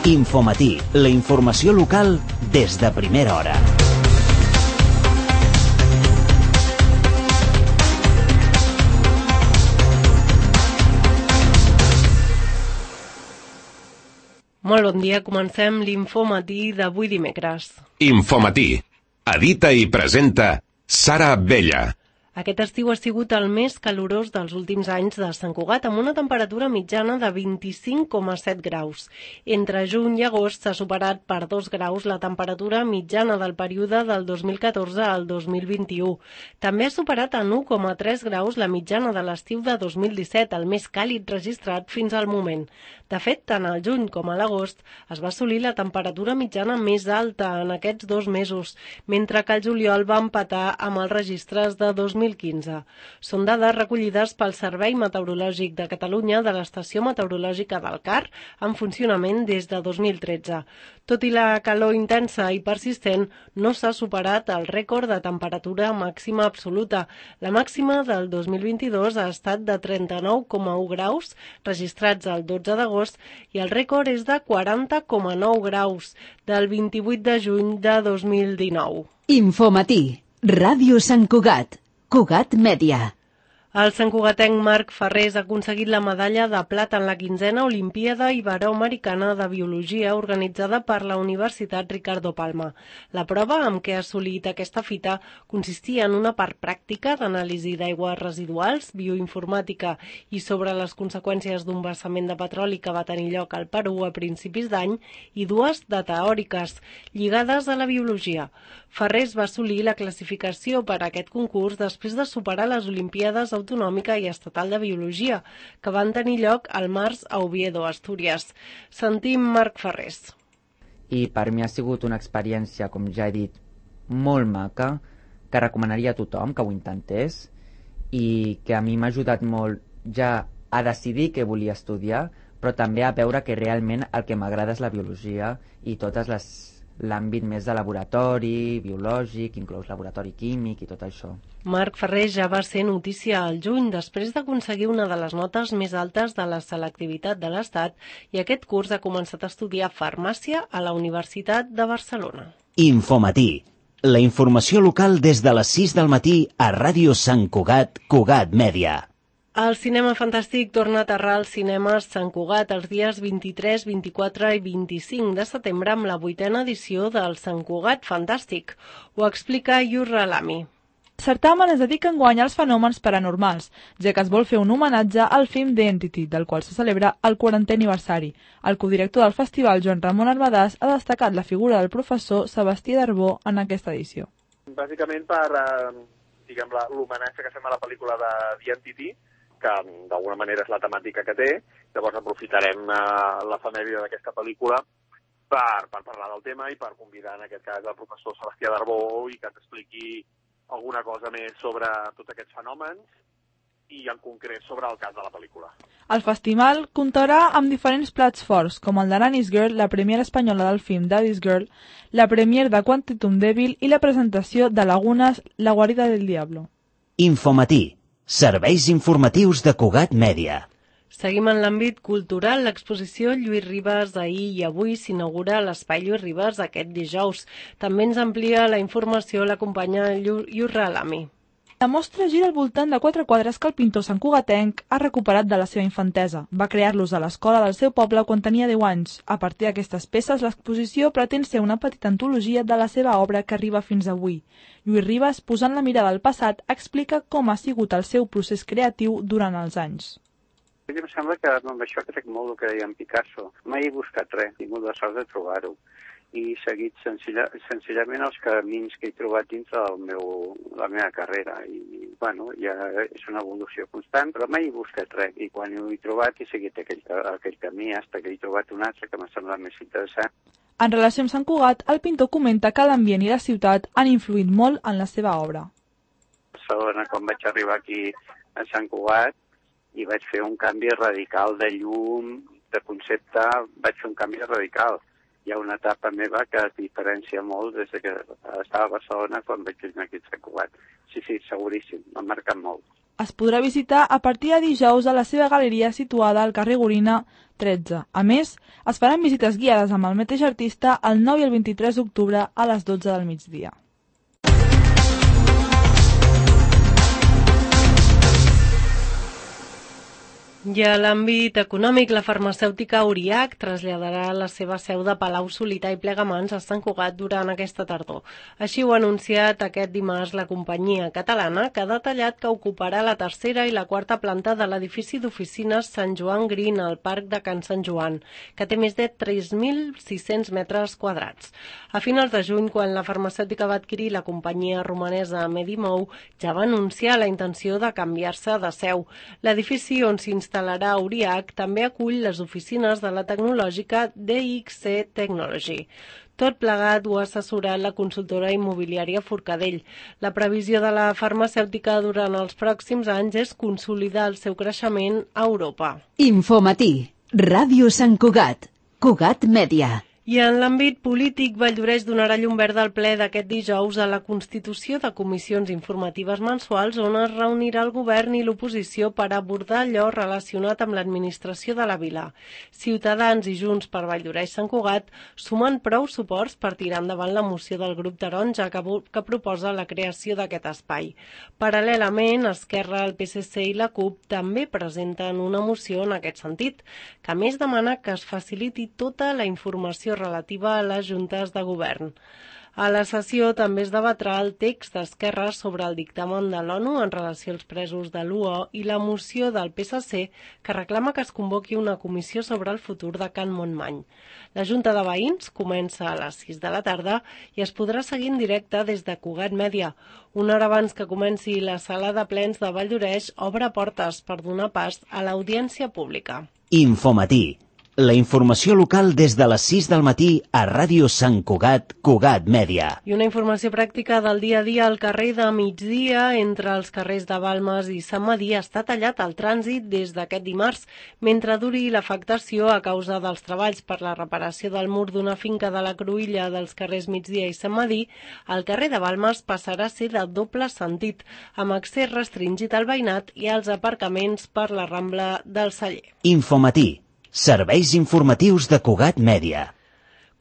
Infomatí, la informació local des de primera hora. Molt bon dia, comencem l'Infomatí d'avui dimecres. Infomatí. Edita i presenta Sara Abella. Aquest estiu ha sigut el més calorós dels últims anys de Sant Cugat, amb una temperatura mitjana de 25,7 graus. Entre juny i agost s'ha superat per 2 graus la temperatura mitjana del període del 2014 al 2021. També ha superat en 1,3 graus la mitjana de l'estiu de 2017, el més càlid registrat fins al moment. De fet, tant al juny com a l'agost es va assolir la temperatura mitjana més alta en aquests 2 mesos, mentre que el juliol va empatar amb els registres de 2015. Són dades recollides pel Servei Meteorològic de Catalunya de l'Estació Meteorològica del CAR, en funcionament des de 2013. Tot i la calor intensa i persistent, no s'ha superat el rècord de temperatura màxima absoluta. La màxima del 2022 ha estat de 39,1 graus, registrats el 12 d'agost, i el rècord és de 40,9 graus, del 28 de juny de 2019. Infomatí, Ràdio Sant Cugat, Cugat Mèdia. El santcugatenc Marc Ferrés ha aconseguit la medalla de plata en la 15a Olimpíada Iberoamericana de Biologia organitzada per la Universitat Ricardo Palma. La prova amb què ha assolit aquesta fita consistia en una part pràctica d'anàlisi d'aigües residuals, bioinformàtica i sobre les conseqüències d'un vessament de petroli que va tenir lloc al Perú a principis d'any i 2 de teòriques, lligades a la biologia. Ferrés va assolir la classificació per a aquest concurs després de superar les Olimpíades Autonòmica i Estatal de Biologia, que van tenir lloc al març a Oviedo, Astúries. Sentim Marc Ferrés. I per mi ha sigut una experiència, com ja he dit, molt maca, que recomanaria a tothom que ho intentés i que a mi m'ha ajudat molt ja a decidir què volia estudiar, però també a veure que realment el que m'agrada és la biologia i l'àmbit més de laboratori, biològic, inclús laboratori químic i tot això. Marc Ferrés ja va ser notícia al juny després d'aconseguir una de les notes més altes de la selectivitat de l'Estat i aquest curs ha començat a estudiar farmàcia a la Universitat de Barcelona. Infomatí, la informació local des de les 6 del matí a Ràdio Sant Cugat, Cugat Mèdia. El cinema fantàstic torna a aterrar als cinemes Sant Cugat els dies 23, 24 i 25 de setembre amb la 8a edició del Sant Cugat Fantàstic. Ho explica Yurra Lami. El certamen es dedica enguany als fenòmens paranormals, ja que es vol fer un homenatge al film The Entity, del qual se celebra el 40è aniversari. El codirector del festival, Joan Ramon Arbadàs, ha destacat la figura del professor Sebastià Darbó en aquesta edició. Bàsicament per l'homenatge que fem a la pel·lícula de The Entity, que d'alguna manera és la temàtica que té. Llavors aprofitarem l'efemèride d'aquesta pel·lícula per parlar del tema i per convidar en aquest cas el professor Sebastià Darbó i que ens expliqui alguna cosa més sobre tots aquests fenòmens i en concret sobre el cas de la pel·lícula. El festival comptarà amb diferents plats forts, com el de Nanny's Girl, la premiera espanyola del film Daddy's Girl, la premier de Quantum Devil i la presentació de Lagunes, La guarida del diablo. Infomatí, serveis informatius de Cugat Mèdia. Seguim en l'àmbit cultural. L'exposició Lluís Ribas ahir i avui s'inaugura a l'Espai Lluís Ribas aquest dijous. També ens amplia la informació la companya Yurra Lami. La mostra gira al voltant de 4 quadres que el pintor santcugatenc ha recuperat de la seva infantesa. Va crear-los a l'escola del seu poble quan tenia 10 anys. A partir d'aquestes peces, l'exposició pretén ser una petita antologia de la seva obra que arriba fins avui. Lluís Ribas, posant la mirada al passat, explica com ha sigut el seu procés creatiu durant els anys. A mi em sembla que amb això crec molt el que deia en Picasso. Mai he buscat res, he tingut la sort de trobar-ho. I he seguit senzillament els camins que he trobat dins de la meva carrera. I, ja és una evolució constant, però mai he buscat res. I quan ho he trobat, he seguit aquell camí fins que he trobat un altre que m'ha semblat més interessant. En relació amb Sant Cugat, el pintor comenta que l'ambient i la ciutat han influït molt en la seva obra. A Barcelona, quan vaig arribar aquí a Sant Cugat, i vaig fer un canvi radical de llum, de concepte, vaig fer un canvi radical. Hi ha una etapa meva que es diferencia molt des que estava a Barcelona quan vaig venir aquí a Sant Cugat. Sí, seguríssim, m'ha marcat molt. es podrà visitar a partir de dijous a la seva galeria situada al carrer Gorina 13. A més, es faran visites guiades amb el mateix artista el 9 i el 23 d'octubre a les 12 del migdia. I a l'àmbit econòmic, la farmacèutica Auriac traslladarà la seva seu de Palau-solità i Plegamans a Sant Cugat durant aquesta tardor. Així ho ha anunciat aquest dimarts la companyia catalana, que ha detallat que ocuparà la tercera i la quarta planta de l'edifici d'oficines Sant Joan Green al Parc de Can Sant Joan, que té més de 3.600 metres quadrats. A finals de juny, quan la farmacèutica va adquirir la companyia romanesa Medimou, ja va anunciar la intenció de canviar-se de seu. L'edifici on s'instal·larà Auriac també acull les oficines de la tecnològica DXC Technology. Tot plegat ho ha assessorat la consultora immobiliària Forcadell. La previsió de la farmacèutica durant els pròxims anys és consolidar el seu creixement a Europa. Infomatí, Ràdio Sant Cugat, Cugat Mèdia. I en l'àmbit polític, Valldoreix donarà llum verda al ple d'aquest dijous a la constitució de comissions informatives mensuals on es reunirà el govern i l'oposició per abordar allò relacionat amb l'administració de la vila. Ciutadans i Junts per Valldoreix Sant Cugat sumen prou suports per tirar endavant la moció del grup taronja que proposa la creació d'aquest espai. Paral·lelament, Esquerra, el PSC i la CUP també presenten una moció en aquest sentit, que a més demana que es faciliti tota la informació relativa a les juntes de govern. A la sessió també es debatrà el text d'Esquerra sobre el dictamen de l'ONU en relació als presos de l'UO i la moció del PSC que reclama que es convoqui una comissió sobre el futur de Can Montmany. La Junta de Veïns comença a les 6 de la tarda i es podrà seguir en directe des de Cugat Mèdia. Una hora abans que comenci la sala de plens de Valldoreix obre portes per donar pas a l'audiència pública. Infomatí. La informació local des de les 6 del matí a Ràdio Sant Cugat, Cugat Mèdia. I una informació pràctica del dia a dia al carrer de migdia entre els carrers de Balmes i Sant Medir està tallat el trànsit des d'aquest dimarts, mentre duri l'afectació a causa dels treballs per la reparació del mur d'una finca de la Cruïlla dels carrers Migdia i Sant Medir. El carrer de Balmes passarà a ser de doble sentit, amb accés restringit al veïnat i als aparcaments per la Rambla del Celler. Infomatí. Serveis informatius de Cugat Mèdia.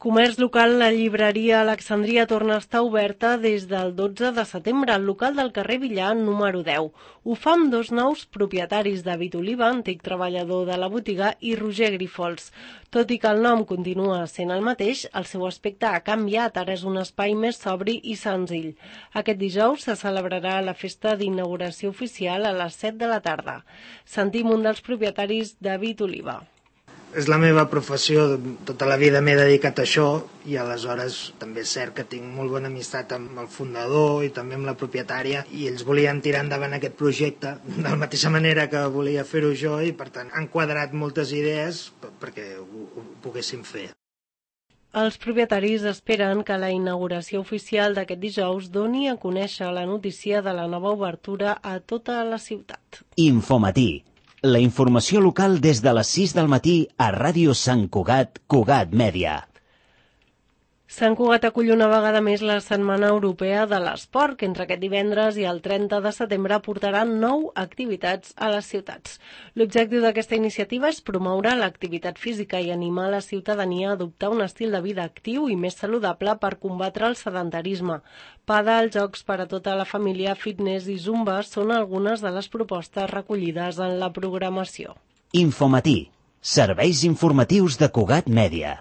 Comerç local, la llibreria Alexandria torna a estar oberta des del 12 de setembre al local del carrer Villar número 10. Ho fa amb dos nous propietaris, David Oliva, antic treballador de la botiga, i Roger Grifols. Tot i que el nom continua sent el mateix, el seu aspecte ha canviat, ara és un espai més sobri i senzill. Aquest dijous se celebrarà la festa d'inauguració oficial a les 7 de la tarda. Sentim un dels propietaris, David Oliva. És la meva professió, tota la vida m'he dedicat a això i aleshores també és cert que tinc molt bona amistat amb el fundador i també amb la propietària i ells volien tirar endavant aquest projecte de la mateixa manera que volia fer-ho jo i per tant han quadrat moltes idees perquè ho poguéssim fer. Els propietaris esperen que la inauguració oficial d'aquest dijous doni a conèixer la notícia de la nova obertura a tota la ciutat. Infomatí. La informació local des de les 6 del matí a Ràdio Sant Cugat, Cugat Mèdia. Sant Cugat acull una vegada més la Setmana Europea de l'Esport, que entre aquest divendres i el 30 de setembre portarà 9 activitats a les ciutats. L'objectiu d'aquesta iniciativa és promoure l'activitat física i animar la ciutadania a adoptar un estil de vida actiu i més saludable per combatre el sedentarisme. Pàdel, jocs per a tota la família, fitness i zumba són algunes de les propostes recollides en la programació. Infomatí. Serveis informatius de Cugat Mèdia.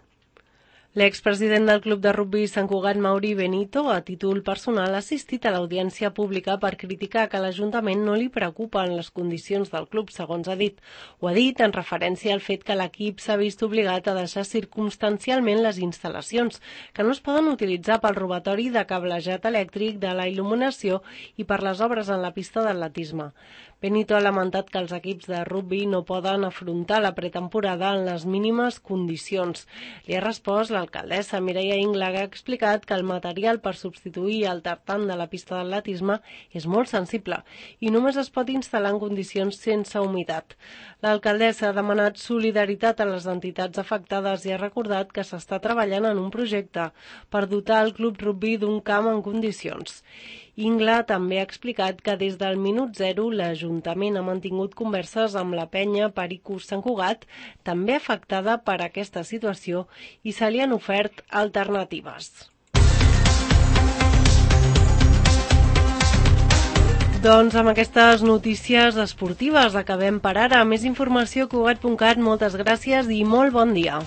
L'expresident del Club de Rugbi Sant Cugat, Mauri Benito, a títol personal, ha assistit a l'audiència pública per criticar que l'Ajuntament no li preocupen les condicions del club, segons ha dit. Ho ha dit en referència al fet que l'equip s'ha vist obligat a deixar circumstancialment les instal·lacions, que no es poden utilitzar pel robatori de cablejat elèctric, de la il·luminació i per les obres en la pista d'atletisme. Benito ha lamentat que els equips de rugbi no poden afrontar la pretemporada en les mínimes condicions. Li ha respost l'alcaldessa Mireia Ingla, que ha explicat que el material per substituir el tartan de la pista d'atletisme és molt sensible i només es pot instal·lar en condicions sense humitat. L'alcaldessa ha demanat solidaritat a les entitats afectades i ha recordat que s'està treballant en un projecte per dotar el club rugbi d'un camp en condicions. Ingla també ha explicat que des del minut zero l'Ajuntament ha mantingut converses amb la penya Pericos Sant Cugat, també afectada per aquesta situació, i se li han ofert alternatives. Doncs amb aquestes notícies esportives acabem per ara. Més informació a Cugat.cat. Moltes gràcies i molt bon dia.